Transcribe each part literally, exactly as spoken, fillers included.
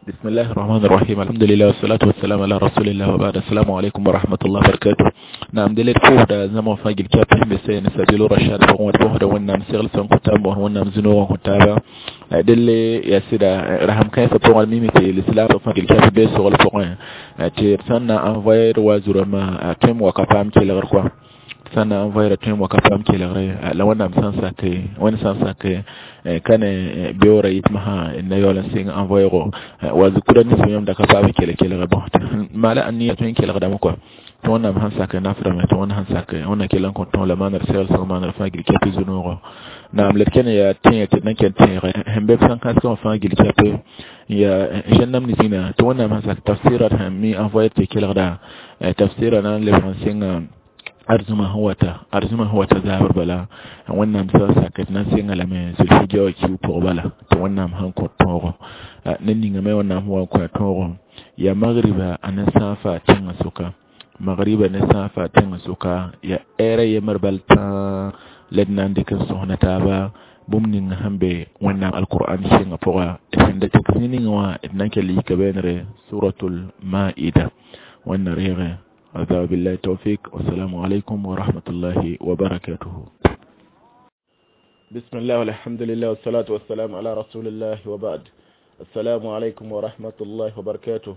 بسم الله الرحمن الرحيم الحمد لله والصلاة والسلام على رسول الله وبعد السلام عليكم ورحمة الله وبركاته نعم دلت فوهدا زمان فاجل كابه بسين سبيل رشاد فقوة فوهدا ونام سيغل سنكتاب ونام زنوغ كتابا دل يا سيدا رحم كيف فوق الميمتي الإسلام فاجل كابه بسغل فوق تي سنة انفاير وزرما تم وكفام كيلغر sãn na n voɛɛra tõe n wa ka paam kelgre la wẽnnaam sã n sak wẽnd sã n sak ka ne beoora yitmã na yaool n sɩng n voɛɛgo wa zukura nins yãmb da ka paam kell kelgre bõ maala a nia tõe n kelgdame kɔa tɩ wẽnnaam sãn sak naframe tɩ wẽnd sãn sak wẽnna kell n kõ tõog la maanr segl sẽng maanr fãa gil kɛpɩ zu-noogo naam la d kẽne yaa tẽeg tɩ d na ken tẽege sẽn be b sãn kãsgã wã fãa gil kɛpɩ yaa zẽn-nam nisĩna tɩ wẽnnaam sãn sak tafsɩra sẽn mi n voɛɛr tɩ kelgda tafsɩra na n lebg n sɩnga arzuma sẽn wata arzuma sẽn wata zaabr bala wẽnnaam sã n sak d na n sɩnga lame zulhijja wã kiu pʋg bala tɩ wẽnnaam sẽn kõ tõogo ne ningame wẽnnaam sẽn wa n kõ a tõogo yaa magriba a ne sãafa tẽngã sʋka magriba ne sãafa tẽngã sʋka yaa ɛɛra yembr bal tãa la d na n dɩk n sõsna taaba bũmb ning sẽn be wẽnnaam alqur'an sɩngã pʋga sẽn da tɩk zĩ ninga wã d na n kell yika beenre suratul maida wẽnna reege هذا بالله التوفيق والسلام عليكم ورحمة الله وبركاته بسم الله والحمد لله والصلاة والسلام على رسول الله وبعد السلام عليكم ورحمة الله وبركاته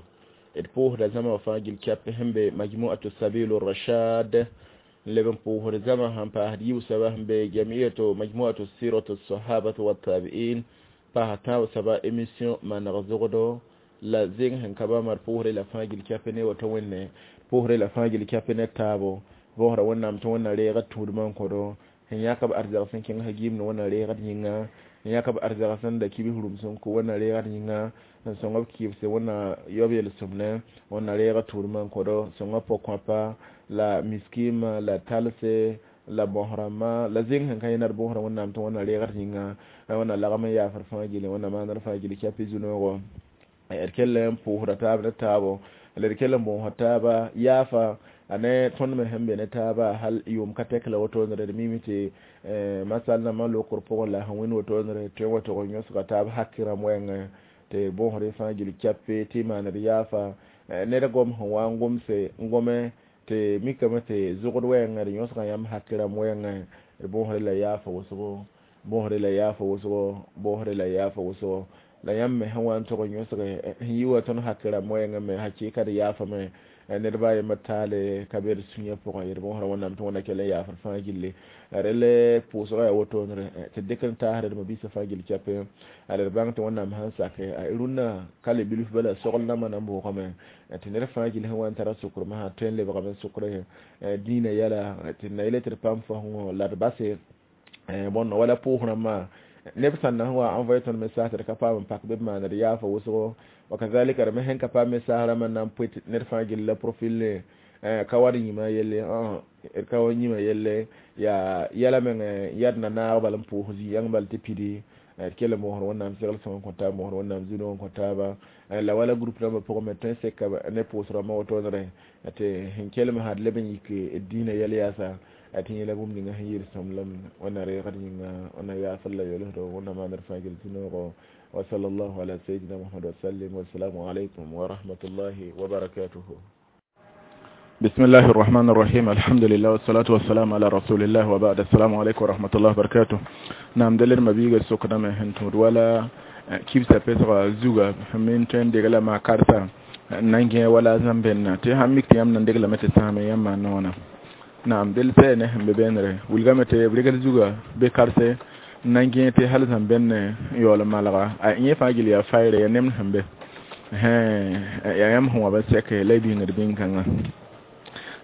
البوه da zama fagil kyap hembe majmu'atu sabilur rashad leben puhur zama han pa hadiyu saba hembe jamiyatu majmu'atu siratu sahabatu wat tabi'in pa hata saba émission man razugdo la zing hen kaba mar puhur la fagil kyap ne wato wenne pʋʋsre la fãa gil kɛpɩ ne taabo bõosra wẽnnaam tɩ wẽnna reega tũudmã n kõ-do sẽn yãk b arzag sẽn kẽng gimd wẽnna reegd yĩnga sẽn yãk b arzag sẽn da kibs rũm sẽn kõ wẽnna reegd yĩnga n sõng b kɩɩbse wẽnna yaob yel-sõmne wẽnna reega tũudmã n kõ-do sõnga pʋg-kõapa la miskima la talse la bõs-rãmbã la zĩng sẽn ka yẽ nad bõosrã wẽnnaam tɩ wẽnna reegd yĩnga wẽnna lagm n yaafr fãa gilli wẽnna maanr fãa gilli kɛpɩ zu-noogo d kell n pʋʋsda taab ne taabo la d kell n bõosa taaba yaafa a ne tõnd me sẽn be ne taaba hal yʋʋm ka tɛk la wotoonre d mime tɩ masal nambã lokr pʋgẽ la sẽn wẽnd wotoonre tõe n wa tog n yõsga taab haki rãmb wɛɛngẽ tɩ bõosd fãa gil kɛpe tɩ maaned yaafa ned gom sẽn wa n gomse n gome tɩ mikame tɩ zʋgd wɛɛngẽ d yõsga yãmb haki rãmb wɛɛngẽ d bõosd la yaafa wʋsgo bõosd la yaafa wʋsgo bõosd la yaafa wʋsgo la yãmb me sẽn wa n tog n yõsge sẽn yi wa tõnd haki rãmb wɛɛngẽ me hakɩɩka d yaafame ned baa yembr taale ka be d sũyã pʋgẽ d bõosra wẽnnaam tɩ wẽnna kell n yaafd fãa gilli rel pʋʋsgã yaa wotoonre tɩ dɩk n taasd d mabisa fãa gil kɛpɛ d bãng tɩ wẽnnaam sãn sake a rũnnã ka le bilf bala sogl nambã na n bʋʋgame tɩ ned fãa gil sẽn wa n tara sʋkr masã tõe n lebgame sʋkr dĩinã yɛla tɩ na yele tɩ d paam fasẽngõ la d base bõn wala pʋʋs rãmbã neb sãn na wa envoyé tõnd message tɩ d ka paam n pak bɩ b maan d yaafa wʋsgo wakazalika d me sẽn ka paam message rãmbã na n pʋɩ ned fãa gill la profil ne ka wa d yĩmã yelle d ka wa yĩmã yelle yaa yɛla meng yad na naag bal n pʋʋs zĩ-yãng bal tɩ pidi d kell n moosd wẽnnaam segl sõng n kõ taab moosd wẽnnaam zu-noog n kõ taaba la wala groupe rãmbã pʋgẽ me tõe n seka ne pʋʋs rãmbã wotoonre tɩ sẽn kelm sã d leb n yik dĩinã yɛl yaasa tɩ yẽla bũmb ninga sẽn yɩɩd sõmblem wẽnna reegd yĩnga wẽnna yaafr la yolsdo wẽnna maanr fãa gil zu-noogo وصلى الله على سيدنا محمد وسلم والسلام عليكم ورحمة الله وبركاته بسم الله الرحمن الرحيم الحمد لله والصلاة والسلام على رسول الله وبعد السلام عليكم ورحمة الله وبركاته نعم دلر مبيغ سكنا من هنتود ولا كيف سبسغ زوغا من تين دغلا ما كارتا نانجي ولا زنبن تي همك تيام نندغلا متى سامي يما نونا نعم دل سنه ببنره ولغمته بريغل زوغا بكارسه nan gẽ tɩ hal sẽn bẽn yaool n malga a yẽ fãa gil yaa fayre ya nemd sẽn be yaa yãmb sẽn wa ba sɛke la y bĩngd bĩn-kãngã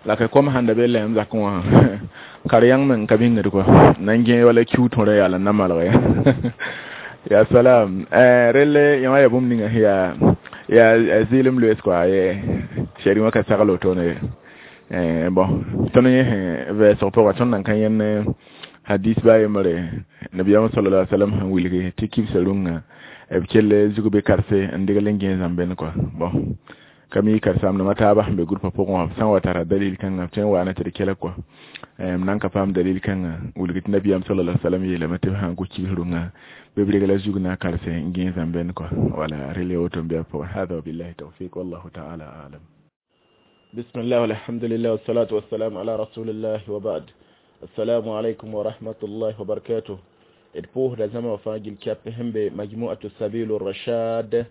la ka kom sãn da be lɛɛm zakẽ wã kar yãng meng ka bĩngd kɔa nan gẽ wala kiu tõra yaa la n na malg ya ya salam rel yã wã yaa bũmb ninga yaa yaa zɩɩlem loees kɔa shɛri wã ka sagl wotone bon tõnd yẽ sẽn vɛɛsg pʋga tõnd nan ka yẽnd hadis ba yembre nabiyam sallallahu alaihi wasallam sẽn wilgi tɩ kibsa rũngã b kell zug be karse n degl n gẽes zãmbẽn kɔa bon ka mi karsaamdãmã taabã sẽn be groupa pʋgẽ wã b sã n wa tara dalil kãngã b tõe n waana tɩ d kelg kɔa m nan ka paam dalil kãngã wilg tɩ nabiyam sallallahu alaihi wasallam yeelame tɩ b sãn kʋ kibs rũngã Bɩ b regla zug na karse n gẽesã n bẽnd kɔ wala rel ya woto n bɩ a pʋgẽ. Hada wabillahi tawfiq, wallahu ta'ala a'lam. Bismillah, walhamdulillah, wassalatu wassalamu ala rasulillah wa ba'd. Assalamu alaikum wa rahmatullahi wa barakatuh. D pʋʋsda zãma wã fãa gil kɛp sẽn be majmuatu sabilu rashad n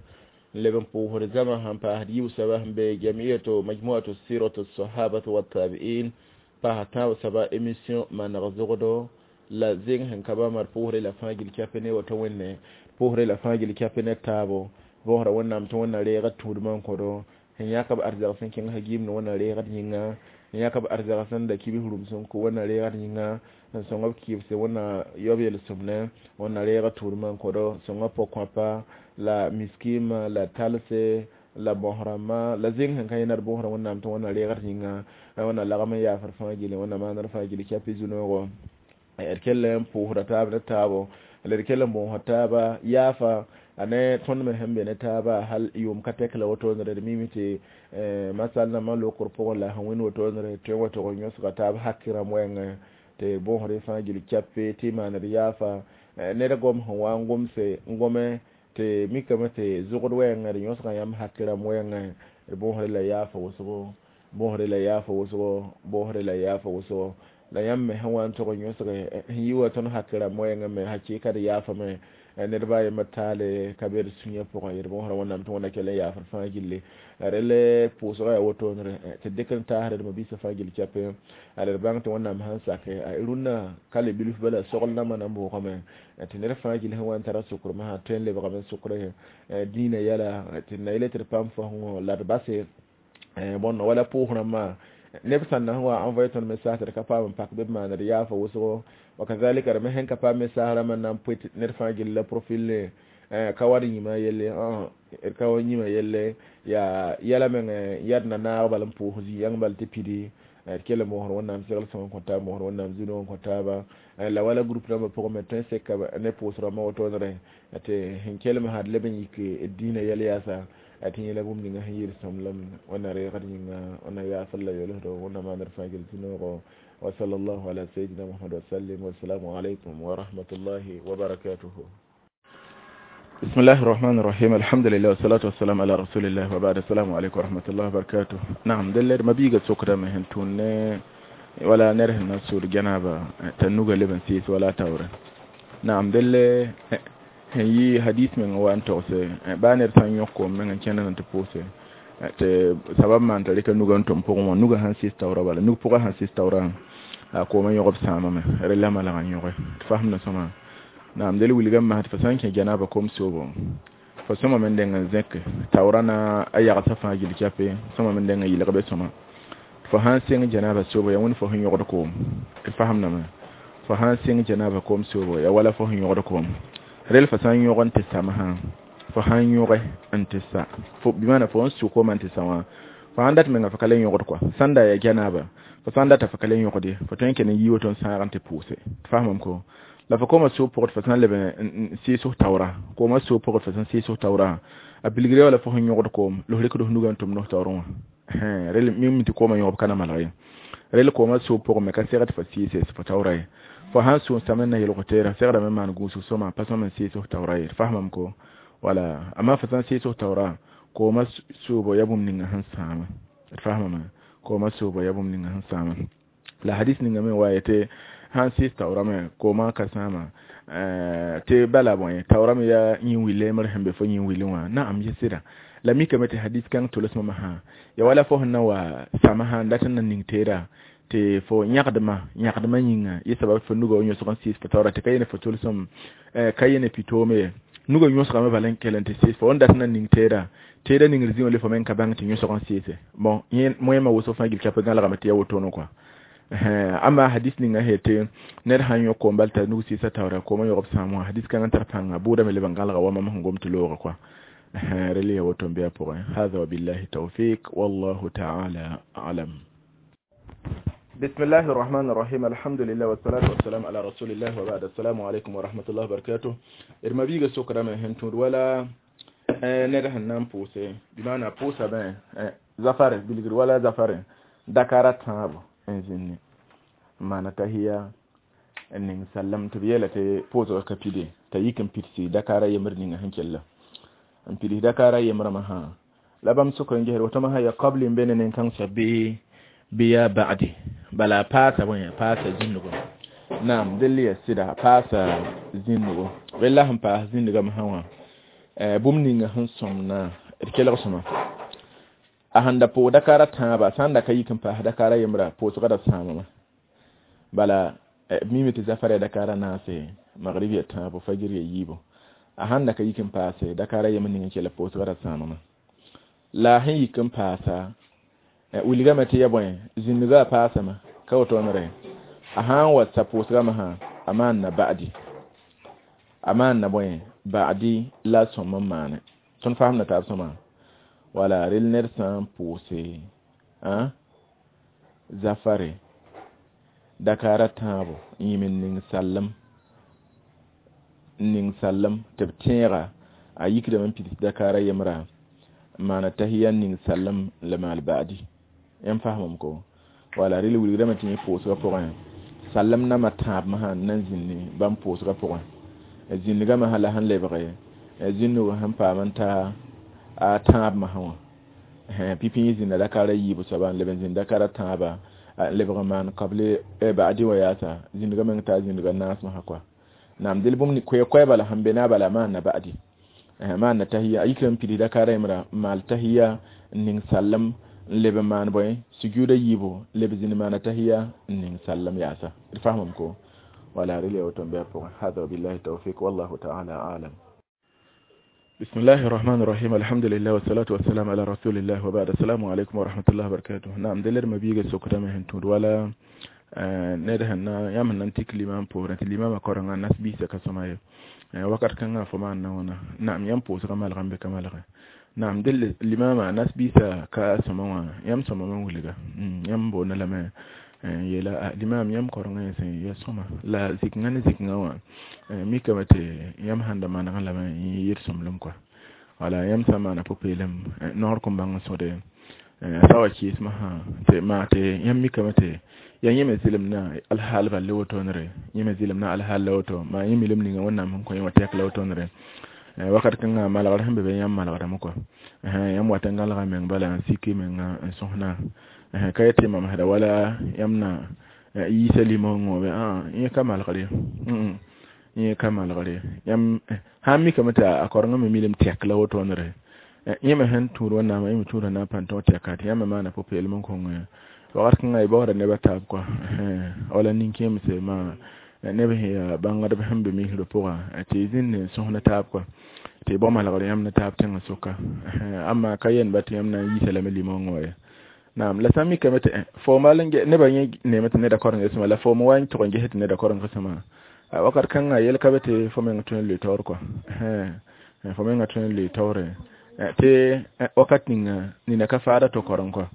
leb n pʋʋsd zãma sẽn paasd yiib soaba sẽn be jamiyatu majmuatu siratu sahabatu wattabi'in paas tãab soaba émission maneg zogdo la zeng sẽn ka bãmba d pʋʋsre la fãa gil kɛp ne woto wẽnne pʋʋsre la fãa gil kɛp ne taabo bõosda Wẽnnaam tɩ Wẽnna reegd tũudmã n kõdo sẽn yãk b arzɛg sẽn kẽng gimd Wẽnna reegd yĩnga n yãk b arzɛg sẽn da kibs rũm sẽn kõ Wẽnna reegd yĩnga n sõng b kɩɩbse Wẽnna yaob yel-sõmne Wẽnna reegd tũudmã n kõdo sõnga pʋg-kõapa la miskima la talse la bõs rãmbã la zeng sẽn ka yẽ d bõosda Wẽnnaam tɩ Wẽnna reegd yĩnga Wẽnna lagm n yaafd fãa gilli Wẽnna maandr fãa gilli kɛpɩ zu-noogo d kell n pʋʋsda taab ne taabo la d kell n bõosd taaba yaafa a ne tõnd me sẽn be ne taaba hal yʋʋm ka tɛk la wotone d mime tɩ masal nambã lokr pʋgẽ la sẽn wẽnd wotone tõe n wa tog n yõsga taab hakɩ rãmb wɛɛngẽ tɩ bõosd fãa gil kɛpe tɩ maand yaafa ned gom sẽn wa n gomse n gome tɩ mikame tɩ zʋgd wɛɛngẽ d yõsga yãmb hakɩ rãmb wɛɛngẽ d bõosd la yaafa wʋsgo bõosd la yaafa wʋsgo bõosd la yaafa wʋsgo la yãmb me sẽn wa n tog n yõsge sẽn yi wa tõnd hakɩ rãmb wɛɛngẽ me hakɩka d yaafame ned baa yembr taale ka be d sũyã pʋgẽ d bõosda Wẽnnaam tɩ Wẽnna kell n yaafd fãa gilli rel pʋʋsgã yaa wotonere tɩ dɩk n taasd d mabisa fãa gil kɛpẽ d bãng tɩ Wẽnnaam sãn sake a rũnnã ka le bilf bala sogl nambã na n bʋʋgame tɩ ned fãa gil sẽn wa n tara sʋkrmã sã tõe n lebgame sʋkre dĩinã yɛla tɩ na yele tɩ d paam fasẽngõ la d base bõn wala pʋʋs rãmbã neb sãn na wa envoyé tõnd message tɩ d ka paam n pak bɩ b maan d yaafa wʋsgo wakazalika d me sẽn ka paam message rãmbã n na n pʋɩ ned fãa gill la profil ne ka wa d yĩmã yelle d ka wa yĩmã yelle yaa yɛla meng yad na naag bal n pʋʋs zĩ-yãng bal tɩ pidi d kell n bõosd Wẽnnaam segl sõng n kõ taab bõosd Wẽnnaam zu-noog n kõ taaba la wala groupe rãmbã pʋgẽ me tõe n seka ne pʋʋs rãmbã wotoonere tɩ sẽn kelm sã d leb n yik dĩinã yɛl yaasa tɩ yẽla bũmb ninga sẽn yɩɩd sõmblem Wẽnna reegd yĩnga Wẽnna yaafd la yolsdo Wẽnna maandr fãa gil zu-noogo. Wa sallallahu ala sayyidina Muhammad wa sallim. Wassalamu alaikum wa rahmatullahi wa barakatuhu. بسم الله الرحمن الرحيم، الحمد لله والصلاة والسلام على رسول الله وبعد. السلام عليكم ورحمة الله وبركاته. نعم دلر ما بيجا سكرة مهن تون ولا نره نسور جنابة تنوغا لبن سيس ولا تورا. نعم دل هي حديث من وان توسه بانر تان يوكو من كان نتبوسه te sabab man t'a rɩka nuga n tʋm pʋgẽ wã nuga sãn sɩs taoora bala nug pʋgã sãn sɩs taoora a koomã yõgb sãamame rel la malg n yõge tɩ fasem na sõma. Naam del wilgame masd fo sã n kẽ janaba kom soobo fo sõmame n deng n zẽk taoora na a yagsã fãa gil kɛpe sõmame n deng n yɩlg be sõma fo sãn sẽng janaba soobo ya wẽnd fo sẽn yõgd koom tɩ fasemdame fo sãn sẽng janaba koom soobo ya wala fo sẽn yõgd koom rel fo sã n yõg n tɩ samsã fo sãn yõge n tɩ sa fo bɩ maana fo n su koomã n tɩ sa wã fo sãn dat menga fo ka le yõgd kɔa sãn da ya janaba fo sãn data fo ka le yõgd ye fo tõe n kell n yi woto n sãag n tɩ pʋʋse tɩ fasemame ko la fo koomã soo pʋgd fo sãn leb n sɩɩs taoora koomã soo pʋgd fo sẽn sɩɩs taoora a bilgre wala fo sẽn yõgd koom la f rɩkd f nugã n tʋm nos taoorẽ wã rel mim tɩ koomã yõgb ka na malg ye rel koomã soo pʋgẽ me ka segd fo sɩɩse fo taoora ye fo sãn sũun same n na yelg teera segdame maan gũusg sõma pa sõm n sɩɩs f taoora ye fasemame ko wala amma fo sãn sɩɩs f taoora koomã soobo ya bũmb ninga sẽn sãama d fasemame koomã soobo ya bũmb ninga sẽn sãama la hadis ninga me wa yetɩ sãn sɩɩs taoorame koomã ka sãama tɩ bala bõe taoorame yaa yĩn lemr sẽn be fo yĩn wilẽ wã naam yẽ sɩda la mikame tɩ hadis kãng tolsmame sã ya wala fo sẽn na wa samsã n dat n na ning teera tɩ fo yãgdmã yãgdmã yĩnga yẽ sabab fo nuga wa yõsg n sɩɩs fo taoora tɩ ka yene fo tolsem ka yene pitoome ye nuga yõsgame bala n kell n tɩ sɩɩs fo n dat n na ning teera teera ningr zĩ wã le fo me n ka bãng tɩ yõsg n sɩɩse bon yẽ moẽmã wʋsg fãa gil kɛp gãlgame tɩ ya wotoone kɔa amma hadis ninga hete ned sãn yõ koom bal t'a nug sɩɩsa taoora koomã yõgb sãam wã hadis kãng n tar pãnga bʋʋdame leb n gãlga wa mam sẽn gom tɩ loogã kɔa rel ya woto n bɩ a pʋgẽ. Hada wabillahi tawfiq, wallahu ta'ala a'lam. بسم الله الرحمن الرحيم، الحمد لله والصلاة والسلام على رسول الله وبعد. السلام عليكم ورحمة الله وبركاته. إرما بيغا سكرا من هنتور ولا ned sẽn na n pʋʋse bɩ maana pʋʋsa bẽ zafare bilgr wala zafare dakara tãabo n zĩnni n maana tahiya n ning sallam tɩ b yeela tɩ pʋʋsgã ka pide t'a yik n pidsi dakaara yembr ninga sẽn kella n pids dakaara yembrã masã la bãmb sʋk n gesd woto masã ya qabli n be ne nin-kãng soab bɩ bɩ yaa ba'di bala a paasa bõe a paasa zĩndgo naam dell ya sɩda a paasa zĩndgo rella sẽn paas zĩndgã masã wã bũmb ninga sẽn sõmna d kelg sõma a sẽn da pʋʋg dakaara tãaba sã n da ka yik n paas dakaara yembra pʋʋsgã da sãamame bala mime tɩ zafara dakaara naase magrib ya tãabo fajir ya yiibo a sãn da ka yik n paase dakaara yembr ning n kell pʋʋsgã da sãamame la a sẽn yik n paasa wilgame tɩ ya bõe zĩndgã a paasame ka wotoonre a sã n wa sa pʋʋsgã masã a maanna ba'di a maanna bõe ba'di la a sõm n maane tõnd fasemda taab sõma wala rel ned sã n pʋʋse zafare dakaara tãabo n yĩm n ning sallem n ning sallem tɩ b tẽega a yikdame n pids dakaara yembra n maana tahiya n ning sallem n la maal ba'di yãmb fasemame ko wala rel wilgdame tɩ yẽ pʋʋsgã pʋgẽ sallem nambã tãab masã n nan zĩndi bãmb pʋʋsgã pʋgẽ zĩndgã masã la sẽn lebge zĩndg sẽn paam n ta a tãab masã wã pipi yẽ zĩnda dakaara yiibu soaba n leb n zĩnd dakaara tãaba n lebg n maan kable ba'di wã yaasa zĩndgã meng taa zĩndgã naas masã koa naam del bũmb koɛ-koɛɛ bala sẽn be na bala maanna ba'di maanna tahiya a yikame n pids dakaara yembra n maal tahiya n ning sallem n leb n maan bõe sujuuda yiibu leb zĩnd maana tahiya n ning sallem yaasa d fasemame ko wala rel ya woto n bɩ a pʋgẽ hada wabillahi tawfik wallahu taala alam بسم الله الرحمن الرحيم الحمد لله والصلاة والسلام على رسول الله وبعد السلام عليكم ورحمة الله وبركاته نعم دلر ما بيجا سكرة ما هنتود ولا ned sẽn na yãmb sẽn na n tik limam poorẽ tɩ limamã korengã nas biisã ka sõma ye wakat kãngã fo maan na wãna naam yãmb pʋʋsgã malgame bɩ ka malge naam dell limamã nas biisã ka sõma wã yãmb sõmame n wilga yãmb boonda lame n yeela limam yãmb korengã yẽ sẽn ya sõma la zikngã ne zikngã wã mikame tɩ yãmb sãn da manegẽ lame yẽ yɩɩd sõmblem kɔa wala yãmb sã n maana pʋ-peelem noor kõn bãng n sõde sa wa kɩɩs masã tɩ maa tɩ yãmb mikame tɩ ya yẽ me zɩlem na alhaal bal la wotoonre yẽ me zɩlem na alhaal la woto maa yẽ milem ninga wẽnnaam sẽn kõ yẽ wã tɛk la wotoonre wakat kãngã malgr sẽn be be yãmb malgrame kɔa yãmb wat n gãlga meng bala n siki menga n sõsna ka yetɩ mamsda wala yãmb na yiisa limongõ bɩ yẽ ka malgr ye yẽ ka malgr ye yãmb sã n mikame tɩ a korengã me milem tɛk la wotoonre yẽ me sẽn tũud wẽnnaamã yẽ me tũuda na n pãn tõog tɛka tɩ yãmb me maana pʋ-peelem n kõng wakat kãngã y baoora nebã taab kɔa wala nin-kẽemse maa neb sẽn yaa bãngdb sẽn be misrã pʋga tɩ y zĩnd n sõsna taab kɔa tɩ y bao malgr yãmb ne taab tẽngã sʋka amma ka yɛnba tɩ yãmb na n yiisa lame limongã wa ye naam la sã n mikame tɩ fo mal n nebã yẽ neeme tɩ neda korengã sõma la fo me wa n tʋg n ges tɩ neda korengã sõma wakat kãngã yel ka be tɩ fo meng tõe n lʋɩ taoor kɔa fo menga tõe n lʋɩ taoore tɩ wakat ninga nina ka faada to koreng kɔa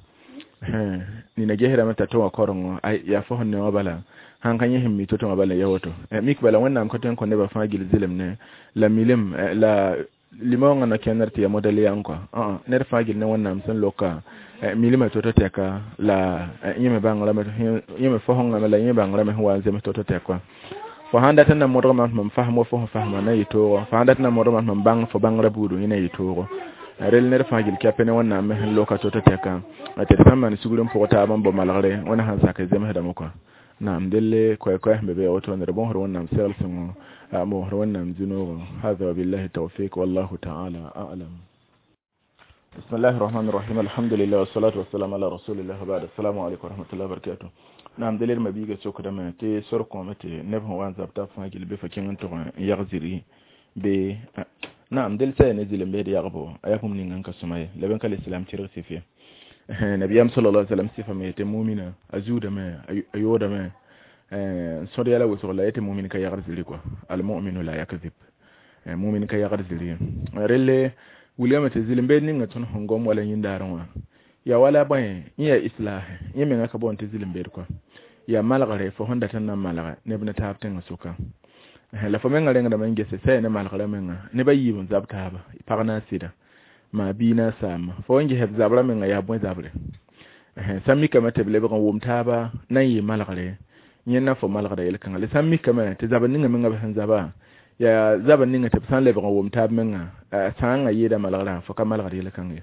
nina gesdame t'a tɩ wã korengõ yaa fo sẽn ne wã bala sãn ka yẽ sẽn mi to-to wã bala ya woto mik bala wẽnnaam ka tõe n kõ nebã fãa gil zɩlem ne la milem la limongã na kẽndr tɩ ya modɛl yãng kɔa ned fãa gil ne wẽnnaam sẽn loka milmã to-to tɛka la yẽ me bãngrame yẽ me fosẽngame la yẽ bãngrame sẽn wa n zems to-to tɛk kɔa fo sãn dat n na modg mam tɩ mam fasem wa fo sẽn fasma na yɩ toogo fo sãn dat n na modg mam tɩ mam bãng fo bãngrã buudu yẽ na yɩ toogo rel ned fãa gil kɛpɛ ne wẽnnaam me sẽn loka to-to tɛka tɩ d sã n maan sugr n pʋg taab n bao malgre wẽna sãn sak zemsdame kɔa naam delle koɛ-koɛɛ sẽn be be ya woto d bõsd wẽnnaam segl sõngo bõsd wẽnnaam zĩ-noogo hada wabillahi tawfik wallahu taala alam بسم الله الرحمن الرحيم الحمد لله والصلاة والسلام على رسول الله وبعد السلام عليكم ورحمة الله وبركاته نعم دليل ما بيجا سوك دم تي سرقو متي نبه وان زبتا فاجل بفكين انتو يغزري ب نعم دل سي نزل بيد يغبو اياكم نين انك سماي لبن كال الاسلام تيرغ سيفيا نبي صلى الله عليه وسلم سيفا ميت مؤمنا ازود ما ايودا ما سوري يلا وسو لا يت مؤمن كي يغزري كو المؤمن لا يكذب مؤمن كي يغزري ريلي wilgame tɩ zɩlem beed ninga tõnd sẽn gom wala yĩndaarẽ wã ya wala bõe yẽ yaa islah yẽ menga ka boond tɩ zɩlem beed kɔa yaa malgre fo sẽn dat n na n malga neb ne taab tẽngã sʋka la fo menga rẽngdame n gese sã ya ne malgrã menga neb a yiib n zab taaba pag na a sɩda maa bii na a saama fo n ges b zabrã menga yaa bõe zabre sã n mikame tɩ b lebg n wʋm taaba na n yɩ malgre Yẽnd fo malgda yel-kãngã la sã n mikame tɩ zabr ninga menga b sẽn zaba yaa zabr ninga tɩ b sã n lebg n wʋm taab menga sãangã yeeda malgrã fo ka malgd yel-kãng ye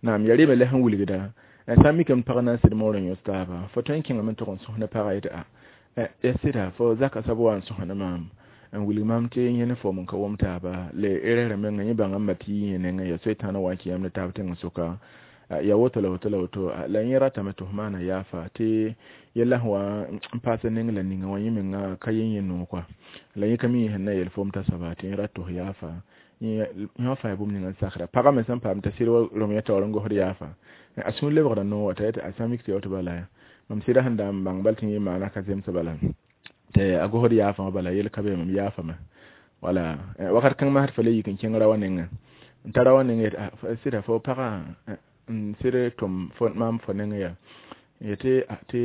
naam ya reme la sẽn wilgda sã n mikame pag na n sɩd moor n yõs taaba fo tõe n kẽngame n tʋg n sõs ne pagã yetɩ a ya sɩda fo zaka soab wa n sõs ne maam n wilg maam tɩ yẽ ne foom n ka wʋm taaba le erreur menga yẽ bãnga n ma tɩ yɩ yẽ nengẽ ya soetãana wa n kẽ yãmb ne taab tẽng sʋka ya woto la woto la woto la yẽ ratame tɩ f maana yaafa tɩ yella sẽn wa n paas neng la ninga wã yẽ menga ka yẽ yẽ noog kɔa la yẽ ka mi sẽn na yel foom t'a soaba tɩ yẽ rat tɩ f yaafa yẽ fãa bũmb ninga n sakra pagã me sẽn paam t'a sɩd wa rõm yã taoor n gosd yaafa a sũur lebgda noog wa t'a yetɩ a sã mik tɩ ya woto bala mam sɩda sẽn da n bãng bal tɩ yẽ maana ka zemse bala tɩ a gosd yaafã wã bala yel ka be mam yaafame wala wakat kãng masd fa le yik n kẽng ra wã nengẽ n tara wã nengẽ yetɩ sɩda fo pagã n sɩd tʋm maam fo nengẽ yaa yetɩ tɩ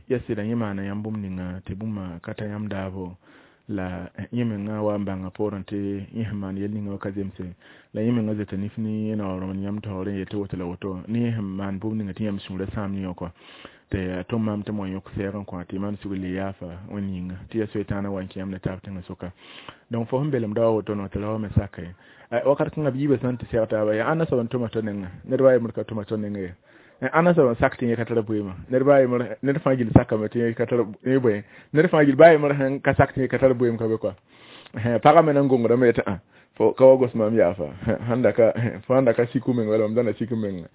ya sɩda yẽ maana yãmb bũmb ninga tɩ bũmba ka ta yãmb daabo la yẽ menga wa n bãnga poorẽ tɩ yẽ sẽn maan yel ninga wã ka zemse la yẽ menga zoeta nif ne yẽ naoor n yãmb taoorẽ yetɩ woto la woto ne yẽ sẽn maan bũmb ninga tɩ yãmb sũurã sãam yẽ wã kɔa tɩ a tʋm maam tɩ m wa yõk sɛɛg n kõ tɩ maan sugr le yaafa wẽnd yĩnga tɩ ya soetãana wa n kẽ yãmb ne taab tẽngã sʋka donc fo sẽn belemda wa woto no tɩ ra wa me saka ye wakat kãngã b yiibã sã n tɩ sɛg taaba yaa ãnna soab n tʋma to nengã ned wa yembr ka tʋma to nengã ye ãnna soab n sak tɩ yẽ ka tar bʋɩɩmã ned ba yembr ned fãa gill sakame tɩ yẽ ka tar yẽ bõe ned fãa gill ba yembr sẽn ka sak tɩ yẽ ka tar bʋɩɩm ka be kɔa pagã me nan gongdame yetɩ ã fo ka wa gos maam yaafa sãn da ka fo sãn da ka siku meng wala mam da na sik menga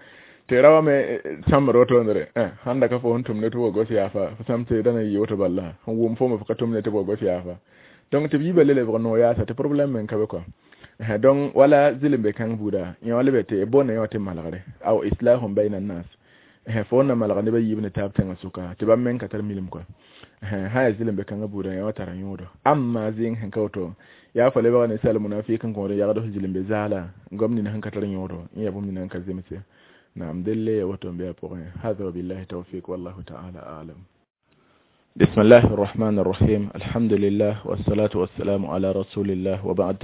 tɩ ra wa me sãmbd wotondre sãn da ka fo sẽn tʋm ne tɩ wa gos yaafa fo sãm tɩ da na yɩ woto bala sẽn wʋm foome fo ka tʋm ne tɩ wa gos yaafa donc tɩ b yiibã le lebg noog yaasa tɩ problème meng ka be kɔa donc wala zɩlembe kãng buuda yẽ wã lebe tɩ boonda yẽ wã tɩ malgre aw islahum bayna annas fo na malg nebã yiib ne taab tẽngã sʋka tɩ bãmb meng ka tar milim kɔa sã yaa zɩlembe kãngã buuda yẽ wã tara yõodo amma zẽng sẽn ka woto yaa fo lebga ninsal munafik n kõod n yagd f zɩlembe zaala gom nina sẽn ka tar yõodo yẽ yaa bũmb nina n ka zemse naam delle ya woto n be a pʋgẽ hada wabillahi tawfik wallahu taala alam. بسم الله الرحمن الرحيم الحمد لله والصلاة والسلام على رسول الله وبعد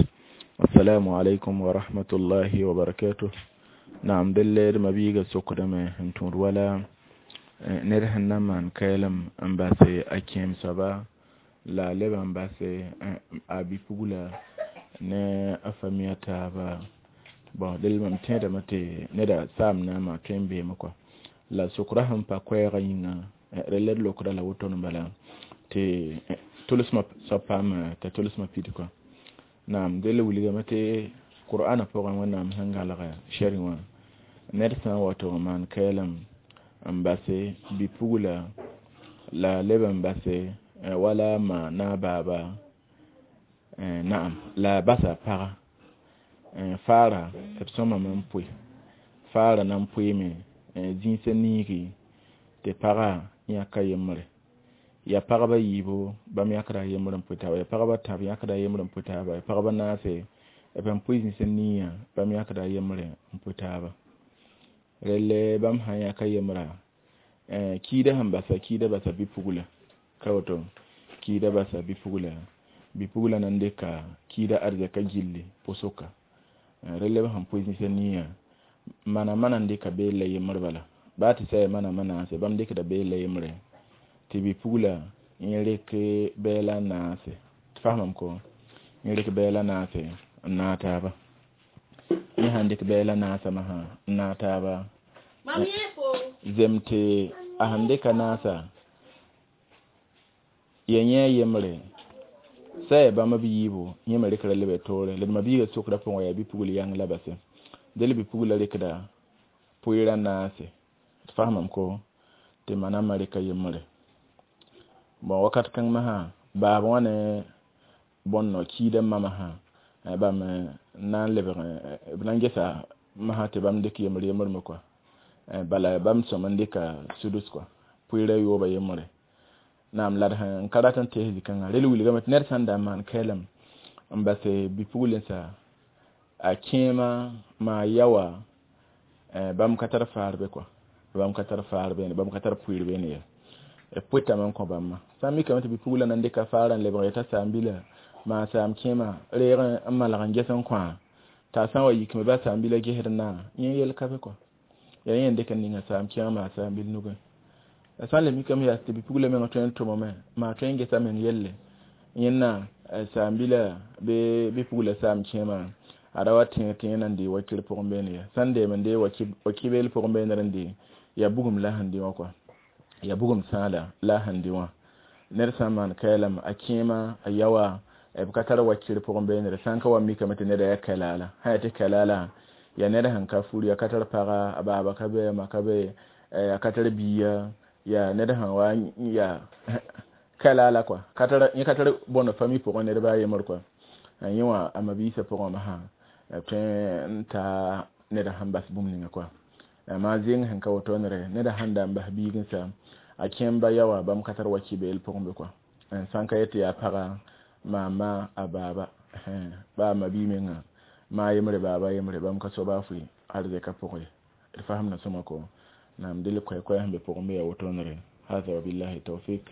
السلام عليكم ورحمة الله وبركاته. نعم دل ما بيجا سكرم انتور ولا نرهن نمان كلام امباسي أكيم سبا لا لبن باسي أبي فولا ne afamiya taaba bon del mam tẽedame tɩ neda saam na n maa tõe n beeme kɔa la sʋkra sẽn pa koɛɛgã yĩnga rel d lokda la woto bala tɩ tʋlsmã soab paam t'a tʋlsmã pid kɔa naam del wilgame tɩ qur'ana pʋgẽ wẽnnaam sẽn galga shɛrẽ wã ned sã n wa tɩ maan kɛɛlem n base bi-pugla la leb n base wala ma na baaba naam la basa paga faara b sõmame n pʋɩ faara na n pʋɩɩme zĩisã niigi tɩ paga yãka yembre ya pagba yiibo bãmb yãkda yembr n pʋɩ taaba ya pagba tãb yãkda yembr n pʋɩ taaba ya pagba naase b n pʋɩ zĩisã niiyã bãmb yãkda yembre n pʋɩ taaba relle bãmb sã n yãka yembra kiida sẽn basa kiida basa bi-pugla ka woto kiida basa bi-pugla bi-pugla na n dɩka kiida arzɛka gilli pʋsʋka relle b sẽn pʋɩ zĩisã niiyã mana mana n dɩka beella yembr bala baa tɩ sã ya mana manaase bãmb dɩkda beella yembre tɩ bi-pugla yẽ rek bɛɛla n naase tɩ fasmam ko yẽ rek bɛɛla naase n naag taaba yẽ sãn dɩk bɛɛla naasã masã n naag taaba zem tɩ a sẽn dɩka naasa ya yẽ yembre sã yaa bãmb b yiibu yẽ me rɩkra lebe toore la d ma-biigã sokra pʋgẽ yaa bi-pugl yãng la base del bi-pugla rɩkda pʋɩɩrã naase tɩ fasmam ko tɩ manama rɩka yembre bon wakat kãng masã baab wã ne bõn kiida mama sã bãmb na n lebg b na n gesa masã tɩ bãmb dɩk yembr yembr me kɔa bala bãmb sõm n dɩka sudus kɔa pʋɩɩrã yooba yembre naam la d sẽn ka rat n tees zĩ-kãngã rel wilgame tɩ ned sã n da n maan kɛɛlem n base bi-puglensã a kẽema maa yawa bãmb ka tar faar be kɔa bãmb ka tar faar beene bãmb ka tar pʋɩɩr beene ye b pʋɩtame n kõ bãmba sã n mikame tɩ bi-pugla na n dɩka faarã n lebg yeta saam-bila maa saam kẽema reeg n malg n ges n kõa t'a sã n wa yikme ba saam-bila gesd n na yẽ yel ka be kɔa yaa yẽ n dɩk n ninga saam kẽema maa saam-bil nugẽ La sã n le mikame yaa tɩ bi-pugla mengã tõe n tʋmame maa tõe n gesa meng yelle yẽnna saam-bila bɩ bi-pugla saam kẽema a ra wa tẽeg tɩ yẽ nan dee wakir pʋgẽ beene ya sã n deem n dee wakibeel pʋgẽ beenr n dee yaa bugum la sẽn dɩ wã kɔa yaa bugum sãala la sẽn dɩ wã ned sã n maan kaɛlame a kẽema a yaoa b ka tar wakir pʋgẽ beenre sã n ka wa mikame tɩ neda yaa kalaala sã yaa tɩ kalaala yaa ned sẽn ka furi a ka tar paga a baaba ka be a ma ka be a ka tar biiga yaa ned sẽn wa yaa kalaala kɔa ka tar yẽ ka tar bõnd famille pʋgẽ ned baa yembr kɔa yẽ wã a mabiisã pʋgẽ masã b tõe n taa ned sẽn bas bũmb ninga kɔa maa zeng sẽn ka woto nere ned sãn da n bas biig n sa a kẽemba yaoa bãmb ka tar wakibeel pʋgẽ be kɔa sã n ka yet tɩ yaa paga maama a baaba ba a mabii menga ma yembre baaba yembre bãmb ka soaba a fʋɩ arzɛka pʋgẽ ye d fasemda sõma ko naam dɩl koɛ-koɛɛ sẽn be pʋgẽ be yaa woto nere هذا وبالله التوفيق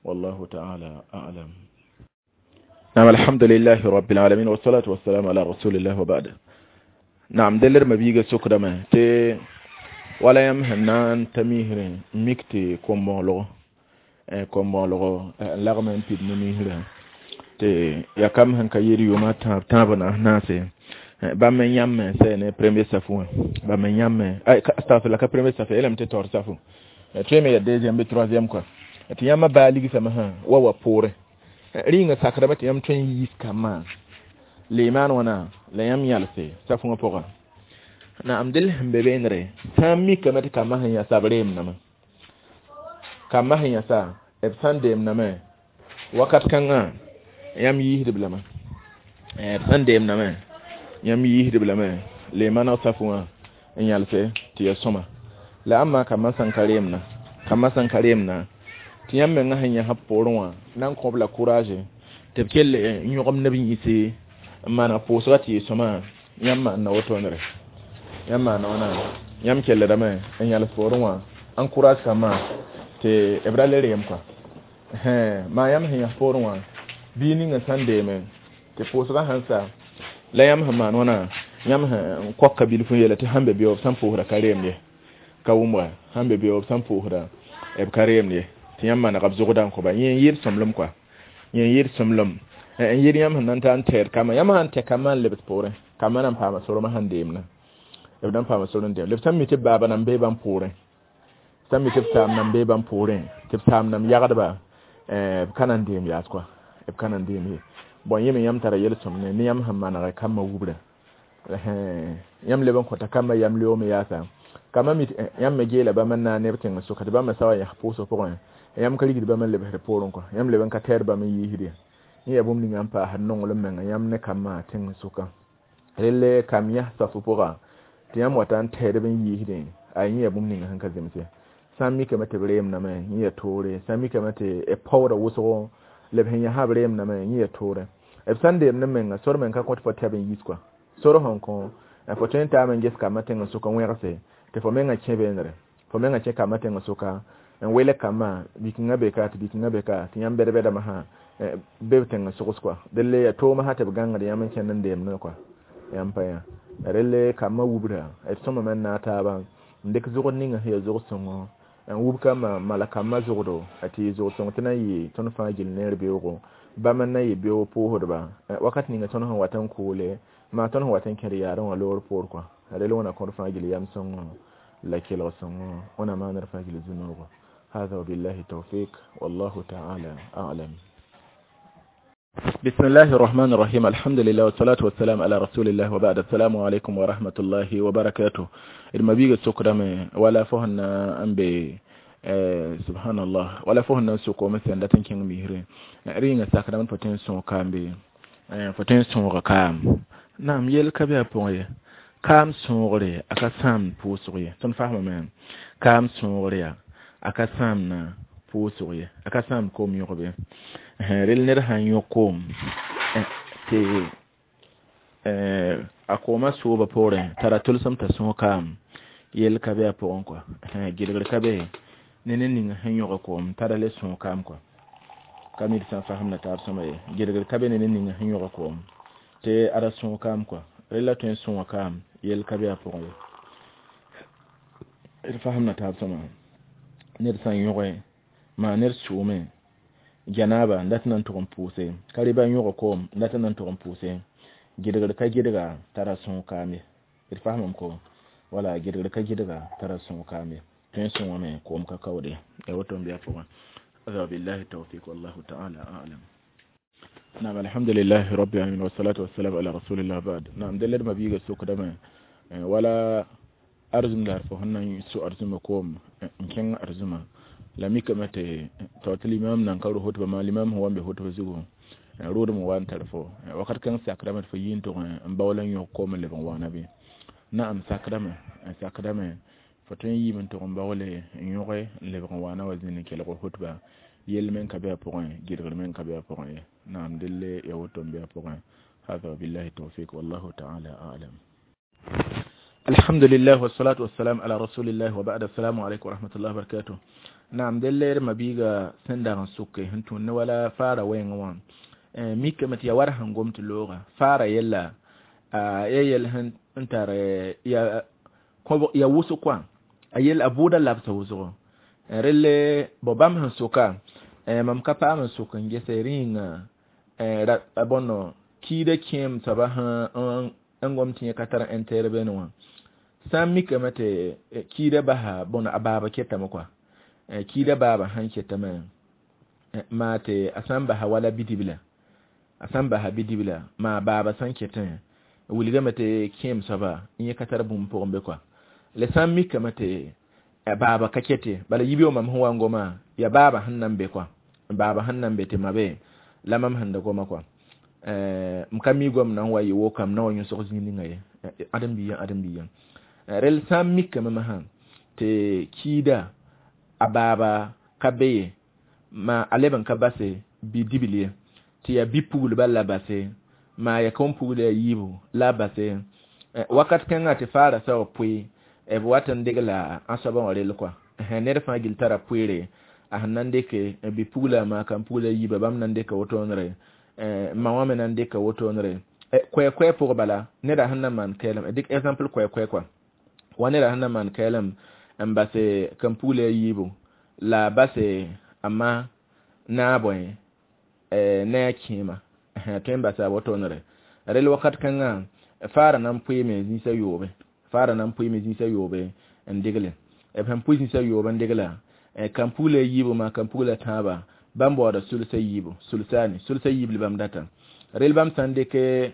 والله تعالى أعلم. نعم الحمد لله رب العالمين والصلاة والسلام على رسول الله وبعد. نعم دلر مبيغا سكرما تي wala yãmb sẽn na n ta misrẽ n mik tɩ kom-bõoglgo kom-bõoglgo n lagme n pid ne misrã tɩ yaa kam sẽn ka yɩɩd yʋʋmã tãab tãab naas naase bãmb n yãmme n sɛ ne premier safu wã bãmb n yãmme astagfirla ka premier safu yeelame tɩ taoor safu tõe me yaa deuxième bɩ troisième kɔa tɩ yãmba baa ligsame sã wa wa poorẽ rĩnga sakrame tɩ yãmb tõe n yiis kambã leemaan wãna la yãmb yãlse safu wã pʋga naam dɩl sẽn be beenre sã n mikame tɩ kambã sẽn yãsa b reemdame kambã sẽn yãsa b sã n deemdame wakat kãngã yãmb yiisdb lame b sã n deemdame yãmb yiisdb lame leemaneg safu wã n yãlse tɩ ya sõma la ãmba kambã sẽn ka reemna kambã sẽn ka reemna tɩ yãmb menga sẽn yãsb poorẽ wã na n kõb la courage tɩ b kell n yõgem neb yĩse n maneg pʋʋsga tɩ yɩ sõma yãmb maanda wotonere yãmb maanda wãna yãmb kelldame n yãls poorẽ wã n courage kambã tɩ b ra le reem kɔa maa yãmb sẽn yãs poorẽ wã bii ninga sã n deeme tɩ pʋʋsgã sẽn sa la yãmb sẽn maan wãna yãmb sẽn koka bilf n yeela tɩ sãn be beoog sã n pʋʋsda ka reemd ye ka wʋmba sãn be beoog sã n pʋʋsda b ka reemd ye tɩ yãmb manega b zʋgda n kõba yẽ n yɩɩd sõmblem kɔa yẽ n yɩɩd sõmblem n yɩɩd yãmb sẽn na n ta n tɛɛd kambã yãmb sã n tɛ kambã n lebs poorẽ kambã na n paama sormã sẽn deemna b na n paama sor n deem b sã n mi tɩ b baaba nan bee bãmb poorẽ sã n mi tɩ b saam nan bee bãmb poorẽ tɩ b saam nam yagdba b ka na n deem yaas kɔa b ka na n deem ye bõn yẽ me yãmb tara yel-sõmne ne yãmb sẽn maneg kambã wubra yãmb leb n kõta kambã yam leoome yaasa kambã mi yãmb me geela bãmb n na n neb tẽng sʋka tɩ bãmb me sa wa yãs pʋʋsg pʋgẽ yãmb ka rigd bãmb n lebsd poorẽ kɔa yãmb leb n ka tɛɛd bãmb n yiisd ye yẽ yaa bũmb ninga n paasd nonglem menga yãmb ne kambã tẽng sʋka relle kam yãs safu pʋga tɩ yãmb wata n tɛɛdb n yiisdẽ a yẽ yaa bũmb ninga sẽn ka zemse sã n mikame tɩ b reemdame yẽ yaa toore sã n mikame tɩ b paooda wʋsgo la b sẽn yãsa b reemdame yẽ yaa toore b sã n deemd menga sor meng ka kõt fo tɛb n yis kɔa sor sẽn kõ fo tõe n taame n ges kambã tẽng sʋka wẽgse tɩ fo menga kẽ beenre fo menga kẽ kambã tẽng sʋka n welg kambã bi-kẽngã be ka tɩ bi-kẽngã be ka tɩ yãmb bɛd-bɛdame sã be b tẽng sogs kɔa delle yaa toomã sã tɩ b gãngd yãmb n kẽnd n deemdẽ kɔa yãmb pa yã relle kambã wubra d sõmame n naag taaba n dɩk zʋgd ninga sẽn yaa zʋg-sõngo n wub kambã mala kambã zʋgdo tɩ yɩ zʋg-sõng tɩ na n yɩ tõnd fãa gill neer beoogo bãmb n na yɩ beoog pʋʋsdba wakat ninga tõnd sẽn wat n koole maa tõnd sẽn wat n kẽd yaarẽ wã loor poor kɔa rel wẽna kõd fãa gill yam sõngo la kelg sõngo wẽna maanr fãa gill zu-noogo هذا وبالله التوفيق والله تعالى أعلم. بسم الله الرحمن الرحيم الحمد لله والصلاة والسلام على رسول الله وبعد السلام عليكم ورحمة الله وبركاته المبيغ السكرم ولا فهنا أنبي سبحان الله ولا فهنا سوكو مثلا داتن كين ميهري رينغ ساكرم فتن سون كامبي فتن سون كام نعم يل كبير بوي كام سونغري أكا سام بوسوري تن فهم من كام سونغري أكا سام نا pʋʋsg ye a ka sãam koom yõgbe rel ned sãn yõ koom tɩ a koomã sooba poorẽ tara tʋlsem t'a sõs kaam yell ka be a pʋgẽ kɔa gɩlgr ka be ne ned ning sẽn yõg koom tara le sõs kaam kɔa ka mi d sã n fasemda taab sõma ye gɩlgr ka be ne ned ning sẽn yõg koom tɩ a ra sõs kaam kɔa rel la tõe n sõa kaam yell ka be a pʋgẽ ye d fasemda taab sõma Ned sã n yõge maa ned sʋʋme janaba n dat n na n tʋg n pʋʋse ka rɩba n yõg koom n dat n na n tʋg n pʋʋse gɩdgr ka gɩdga tara sõog kaam ye d faamame ko wala gɩdgr ka gɩdga tara sõog kaam ye tõe n sõngame koom ka kaoode ya woto n bɩ a pʋgẽ هذا بالله التوفيق والله تعالى أعلم. نعم، الحمد لله رب العالمين والصلاة والسلام على رسول الله بعد. نعم، دلل ما بيجا سوق دم ولا arzum la fo sẽn so arzuma koom n kẽng arzuma la mikame tɩ tɩ tɩ limam nan ka ro hotba maa limam sẽn wa n be hotba zugu roodem wa n tar fo wakat kãng sakrame tɩ fo yi n tʋg n baool n yõk koom n leb n waana bɩ na'am sakrame sakrame fo tõe n yiime n tʋg n baoole n yõge n lebg n waana wa zĩnd n kelg hotba yell me n ka be a pʋgẽ gɩdgr me n ka be a pʋgẽ ye naam delle ya woto n be a pʋgẽ. هذا وبالله التوفيق والله تعالى أعلم. الحمد لله والصلاة والسلام على رسول الله وبعد. السلام عليكم ورحمة الله وبركاته. نعم، دلير ما بيغا سندا سوكي هنتو ولا فارا وين وان ميكا متي يا ورهن قمت اللغة فارا يلا يل هن انت يا يا وسو كوان ayel abuda labsa wʋsgo relle bo bãmb sẽn soka mam ka paam n sok n gese rĩnga bõno kiida kẽem soaba sẽn gom tɩ yẽ ka tar intérêt bene wã sã n mikame tɩ kiida basa bõno a baaba ketame kɔa kiida baaba sãn ketame maa tɩ a sã n basa wala bidibla a sã n basa bidibla maa baaba sã n ketẽ wilgame tɩ kẽem soaba yẽ ka tar bũmb pʋgẽ be kɔa la sã n mikame tɩ baaba ka kete bala yibeo mam sẽn wa n goma ya baaba sẽn nan be kɔa baaba sẽn nan be tɩ ma be la mam sẽn da goma kɔa m ka mi gom na n wa yɩ wokam na wa yõsg zĩig ninga ye ãdem-biigã ãdem-biigã rel sã n mikame masã tɩ kiida a baaba ka be ye ma a leb n ka base bi-dibl ye tɩ yaa bi-puglba la base maa ya kõn-pugl a yiibu la base wakat kãngã tɩ faara sa wa pʋɩ b wat n degla a soabã wã rell kɔa ned fãa gill tara pʋɩɩre a sẽn na n dɩke bi-pugla maa kan-pugla yiiba bãmb na n dɩka wotoonre ma wã me na n dɩka wotoonre koɛ-koɛ pʋg bala neda sẽn na maan kɛɛlem dɩk exemple koɛ-koɛ kɔa wa neda sẽn na maan kɛɛlem n base kan-pugla a yiibu la base a ma naab bõe ne a kẽema tõe n basa a wotoonre rel wakat kãngã faara na n pʋɩɩme zĩisã yoobe faara na n pʋɩɩme zĩisã yoobe n degle b sẽn pʋɩ zĩisã yoob n degla kan-pugla yiibu maa kan-pugla tãaba bãmb baooda sulsa yiibu sulsaani sulsa yiib la bãmb data rel bãmb sã n dɩke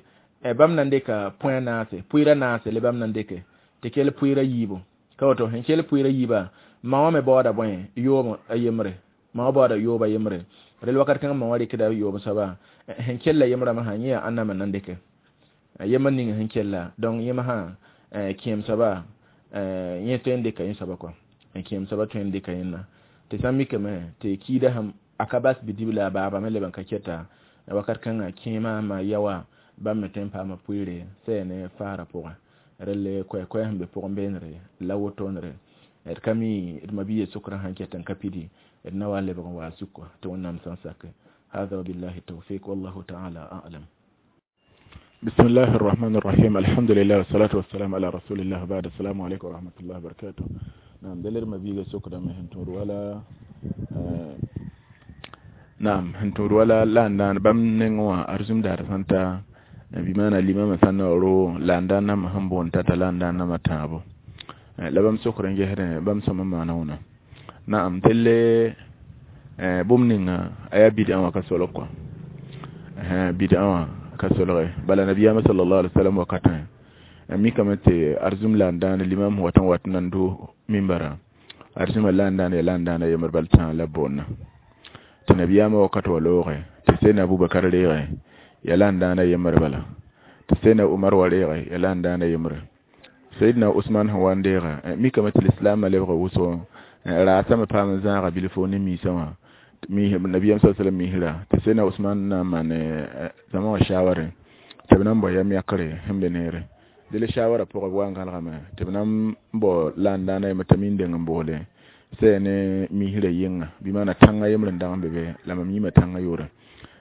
bãmb na n dɩka põe naase pʋɩɩra naase la bãmb na n dɩke tɩ kell pʋɩɩra yiibu ka woto sẽn kell pʋɩɩra yiibã ma wã me baooda bõe yoob a yembre ma wã baooda yoob a yembre rel wakat kãngã ma wã rɩkda yoob soaba sẽn kella yembrã masã yẽ yaa ãnna me na n dɩke yembr ning sẽn kella donc yẽ masã kẽem soaba yẽ tõe n dɩka yẽ soaba kɔa kẽem soaba tõe n dɩka yẽnna tɩ sã n mikame tɩ kiida sẽn a ka bas bidibla a baaba me leb n ka kɛta wakat kãngã kẽema ma yaoa bãmb me tõe n paama pʋɩɩre sɛ ne faarã pʋgẽ relle koɛ-koɛɛ sẽn be pʋgẽ beenre la wotoonre d ka mi d mabiya sʋkrã sãn ket n ka pidi d na wa n lebg n waa sʋka tɩ Wẽnnaam sã n sake. هذا وبالله التوفيق والله تعالى أعلم. بسم الله الرحمن الرحيم، الحمد لله والصلاة والسلام على رسول الله بعد. السلام عليكم ورحمة الله وبركاته. نعم، دلر ما بيجا سكرة ما هنتور ولا آه نعم هنتور ولا لا ندان بام نينوا أرزم دار سانتا بمعنى الإمام سنة رو لا ندان ما هم بون تاتا لا ندان ما تابو لا بام سكرة نجهر بام سما ما نونا. نعم، دل bũmb ninga a yaa bid'a wã ka solg kɔa bid'a wã ka solge bala nabiyaamã sallallahu alaihi wasallam wakatã mikame tɩ arzum la n dãan limam wat n wat n nan do mimbara arzuma la n dãan ya la n dãana yembr bal tãa la boonna tɩ nabiyaamã wakat wa looge tɩ sena Abubakar reege ya la n dãana yembr bala tɩ sena Umar wa reege ya la n dãana yembre Sayidna Usman sẽn wa n deega mikame tɩ lislaamã lebga wʋsgo raasame paam n zãaga bilfo ne miisã wã mi nabiyam sallallahu alaihi wasallam mihira tɩ sena Usman na n maan zãma wã shaware tɩ b na n bao yam yakre sẽn be neere dɩl shawara pʋgã b wa n gãlgame tɩ b na n bao la n dãana yembr t'a mi n deng n boole sɛ ne misrã yɩnga bɩ maana tãngã yembr n dag n be be la mam yĩma tãngã yʋʋre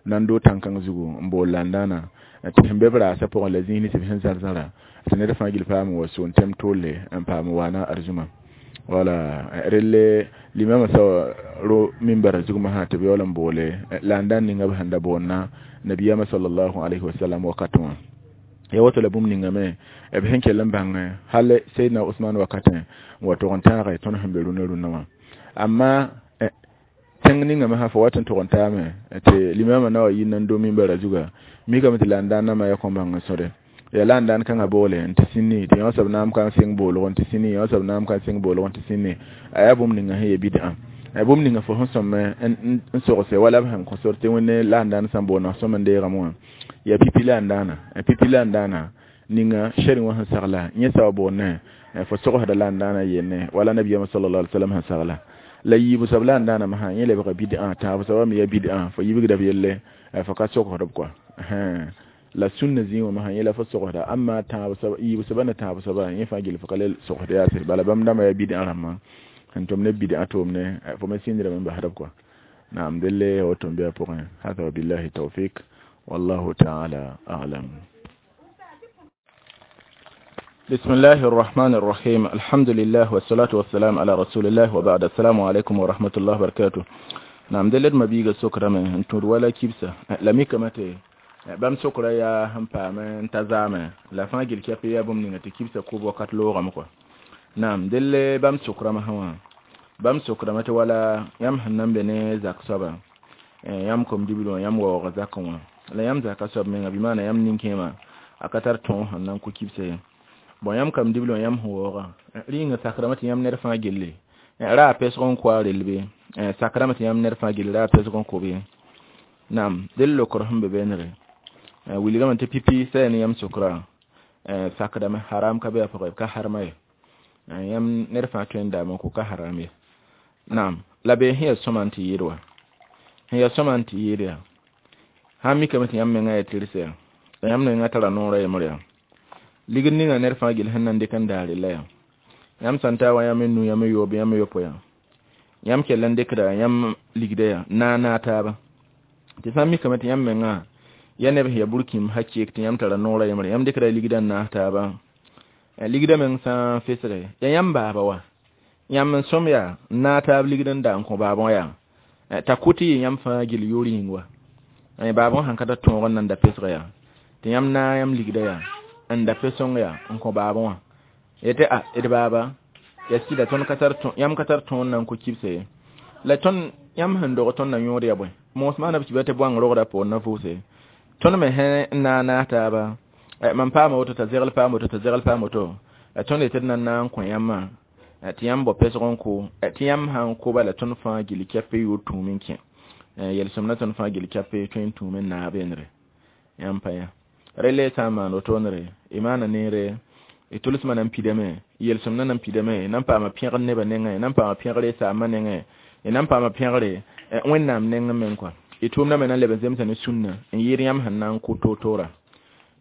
na n doog tãn-kãng zugu n bool la n dãana tɩ sẽn be b raasã pʋgẽ la zĩis tɩ b sẽn zar-zãra tɩ ned fãa gill paam n wa soon tɛm tolle n paam n waana arzuma. Wala relle limama sa ro minbara zugma ha tɩ b yaool n boole la n dãn ninga b sẽn da boonna nabiyama sallallahu alayhi wa sallam wakatẽ wã. Ya woto la bũmb ninga me b sẽn kell n bãng hal Seydna Usman wakatẽ n wa tog n tãage tõnd sẽn be rũnã rũnã wã. Amma tẽng ninga me sã fo wat n tog n taame tɩ limama na wa yɩ nan do minbara zuga mikame tɩ la n dãn nama ya kõn bãng n sõde ya la n dãn kãngã boole n tɩ sĩnni tɩ yõ soab naam ka n sɩng boolg n tɩ sĩnni yõ soab naam ka n sɩng boolg n tɩ sĩnni a yaa bũmb ninga sẽn ye bid'a bũmb ninga fo sẽn sõm n sogse wala b sẽn kõ sor tɩ Wẽnde la n dãn sã n boona sõm n deegame wã ya pipi la n dãana pipi la n dãana ninga shɛrẽ wã sẽn sagla yẽ soab boonne fo sogsda la n dãana yenne wala nabiyama sallallahu alaihi wasallam sẽn sagla la yiibu soab la n dãana masã yẽ lebga bid'a tãab soabã me ya bid'a fo yibgda b yelle fo ka sogsdb kɔa la sunna zĩig wã masã yẽ la fo sogsda amma tãab soab yiibu soaba ne tãab soaba yẽ fãa gill fo ka le sogsd yaase bala bãmb dãmbã ya bid'a rãmbã sẽn tʋm ne bid'a tʋʋmne fo me sĩndrame n basdb kɔa naam delle woto n be a pʋgẽ. Hada wabillahi tawfik wallahu taala a'lam. بسم الله الرحمن الرحيم الحمد لله والصلاة والسلام على رسول الله وبعد السلام عليكم ورحمة الله وبركاته. نعم دلت ما بيغا سكرة من تور ولا كيبسة لمي كمتي بام سكرة يا همبا من تزامة لا فاجل كيف يا بوم نيغا تكيبسة كوب وقت لوغا مكو. نعم دل بام سكرة ما هو بام سكرة متى ولا يم هنم بني زاك سبا يم كم دبلو يم وغزاكم لا يم زاك سب من بمعنى يم نينكما أكتر تون هنم كو كيبسة bon yãmb kam dibl wã yãmb sẽn waoogã rĩnga sakrame tɩ yãmb ned fãa gelle ra a pesg n kʋa relbe sakrame tɩ yãmb ned fãa gelle ra a pesg n kʋ naam del lokr sẽn be beenre wilgame tɩ pipi sã ne yãmb sʋkra sakdame haram ka be a pʋgẽ ka harma ye yãmb ned fãa tõe n daame n kʋ ka haram ye naam la bee sẽn yaa sõma n tɩ yɩɩd wa sẽn yaa sõma n tɩ yɩɩd yaa sãn mikame tɩ yãmb mengã yaa tɩrsa yaa la yãmb mengã tara noorã yembre yaa ligd ninga ned fãa gill sẽn na n dɩk n daare la yaa yãmb sã n taa wa yãmb n nu yãmb yoob yãmb yopo yaa yãmb kell n dɩkda yãmb ligda yaa naa naa taaba tɩ sã n mikame tɩ yãmb mengã ya neb sẽn yaa burkĩmb hakeek tɩ yãmb tara noorã yembre yãmb dɩkda ligda n naas taaba ligda meng sã n fesge ya yãmb baaba wa yãmb n sõm yaa n naag taab ligd n da n kõ baabõ yaa t'a kʋ tɩ yɩ yãmb fãa gill yoor yĩng wa baabõ sãn ka tar tõog n nan da pesg yaa tɩ yãmb naag yãmb ligda yaa n da pesõng yaa n kõ baabõ wã yetɩ a d baaba ya sɩda tõnd ka tar yãmb ka tar tõod na n kõ kibsa ye la tõnd yãmb sẽn dog tõnd na yõod ya bõe moos maana b kiba tɩ bõang rogda poor na vʋʋse tõnd me sẽn n naag naas taaba mam paama woto t'a zegl paam woto t'a zegl paam woto tõnd yetɩ d na n naag n kõ yãmbã tɩ yãmb bao pesg n kʋ tɩ yãmb sã n kʋba la tõnd fãa gill kɛp yoor tũum n kẽ yel-sõmda tõnd fãa gill kɛp tõe n tũum n naag beenre yãmb pa yã relle sã n maan wotone y maana neere y tʋlsmã nan pidame yel-sõmdã nan pidame nan paama pẽgr nebã nengẽ nan paama pẽgre y saambã nengẽ y nan paama pẽgre Wẽnnaam nengẽ meng kɔa y tʋʋmdã me nan leb n zemsa ne sũnna n yɩɩd yãmb sẽn na n kʋ toor-toora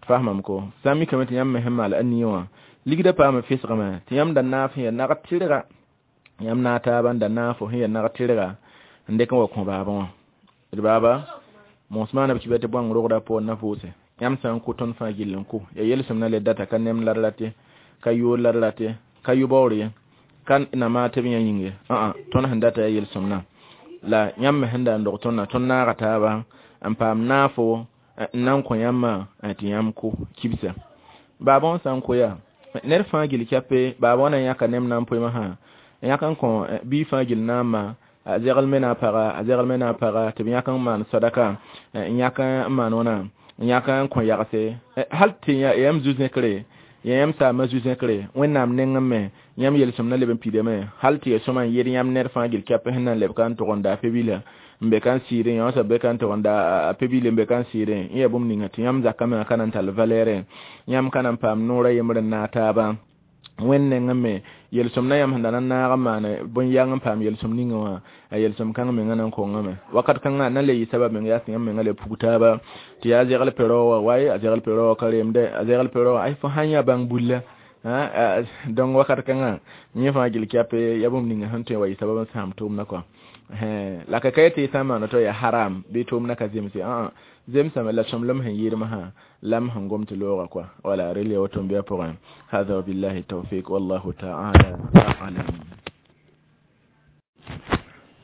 fasmam ko sã n mikame tɩ yãmb me sẽn maal a nia wã ligdã paama fesgame tɩ yãmb da naaf sẽn yaa nag tɩrga yãmb naag taaba n da naafo sẽn yaa nag tɩrga n dɩk n wa kõ baabã wã d baaba moos maana b kiba tɩ bõang rogda poor na vʋʋse yãmb sã n kʋ tõnd fãa gill n kʋ ya yel-sõmdã le data ka nem la d rate ka yoor la d rate ka yʋ-baoor ye ka na maa tɩ b yã yĩng ye ã tõnd sẽn data ya yel-sõmdã la yãmb me sẽn da n dog tõndã tõnd naaga taaba n paam naafo n na n kõ yãmbã tɩ yãmb kʋ kibsa baabõ sã n kʋ yaa ned fãa gill kɛpe baabõ na n yãka nem na n poe masã n yãk n kõ bii fãa gill naambã a zegl me na a paga a zegl me na a paga tɩ b yãk n maan sadaka n yãk n maan wãna n yãk n kõ yagse hal tɩ yãmb zu-zẽkre ya yãmb saamã zu-zẽkre Wẽnnaam nengẽ me yãmb yel-sõmdã leb n pidame hal tɩ ya sõma n yed yãmb ned fãa gill kɛp sẽn na n leb ka n tʋg n daa pe-bila n be ka n sɩɩdẽ yã soab be ka n tʋg n daa pe-bil n be ka n sɩɩdẽ n yaa bũmb ninga tɩ yãmb zakã mengã ka na n tall valɛɛrẽ yãmb ka na n paam noorã yembr n naag taaba Wẽnd nengẽ me yel-sõmdã yãmb sẽn da na n naag n maan bõn-yang n paam yel-sõm ninga wã a yel-sõm kãng mengã na n kongame wakat kãngã na le yɩ sabab meng yaa tɩ yãmb mengã le pug taaba tɩ yaa zegl pe-rao wã waye a zegl pe-rao wã ka reemdɛ a zegl pe-rao wã ay fo sãn yã bãng bulla donc wakat kãngã yẽ fãa gill kɛpe ya bũmb ninga sẽn tõe wa yɩ sabab n sãam tʋʋmdã kɔa la ka ka tɩ sã n maan woto yaa haram bɩ tʋʋmdã ka zemse ã zemsame la sõmblem sẽn yɩɩd masã la m sẽn gom tɩ looga kɔa wala rel ya woto n be a pʋgẽ hada wabillahi tawfik wallahu taala alam.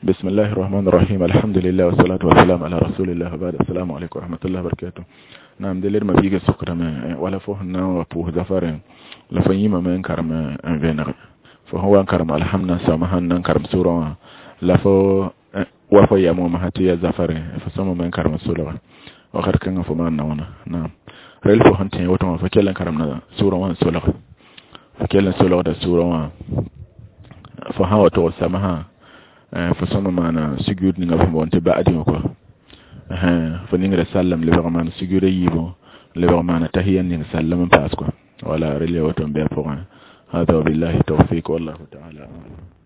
بسم الله الرحمن الرحيم الحمد لله والصلاة والسلام على رسول الله وبعد السلام عليكم ورحمة الله وبركاته نعم دليل ما بيجي سكر ما ولا فوه نا وبوه زفر لا فيما ما انكرم ان فهو انكرم الحمد سمها نكرم سورة لا فو وفو يمو ما هتي زفر فسمو ما انكرم سورة وخر كان فما نونا نعم ريل فو هنتي وتو فكلن كرمنا سورة وان سورة فكلن سورة da sura wa fo sã wa tog samaha fo sõma maana sugud ninga fo boond tɩ ba'adi wã kɔ fo ningra sallam lebg maan sugud a yiibu lebg maana tahiya ning sallam n paas kɔ wala rel ya woto n bɩ a pʋgẽ هذا وبالله التوفيق والله تعالى أعلم.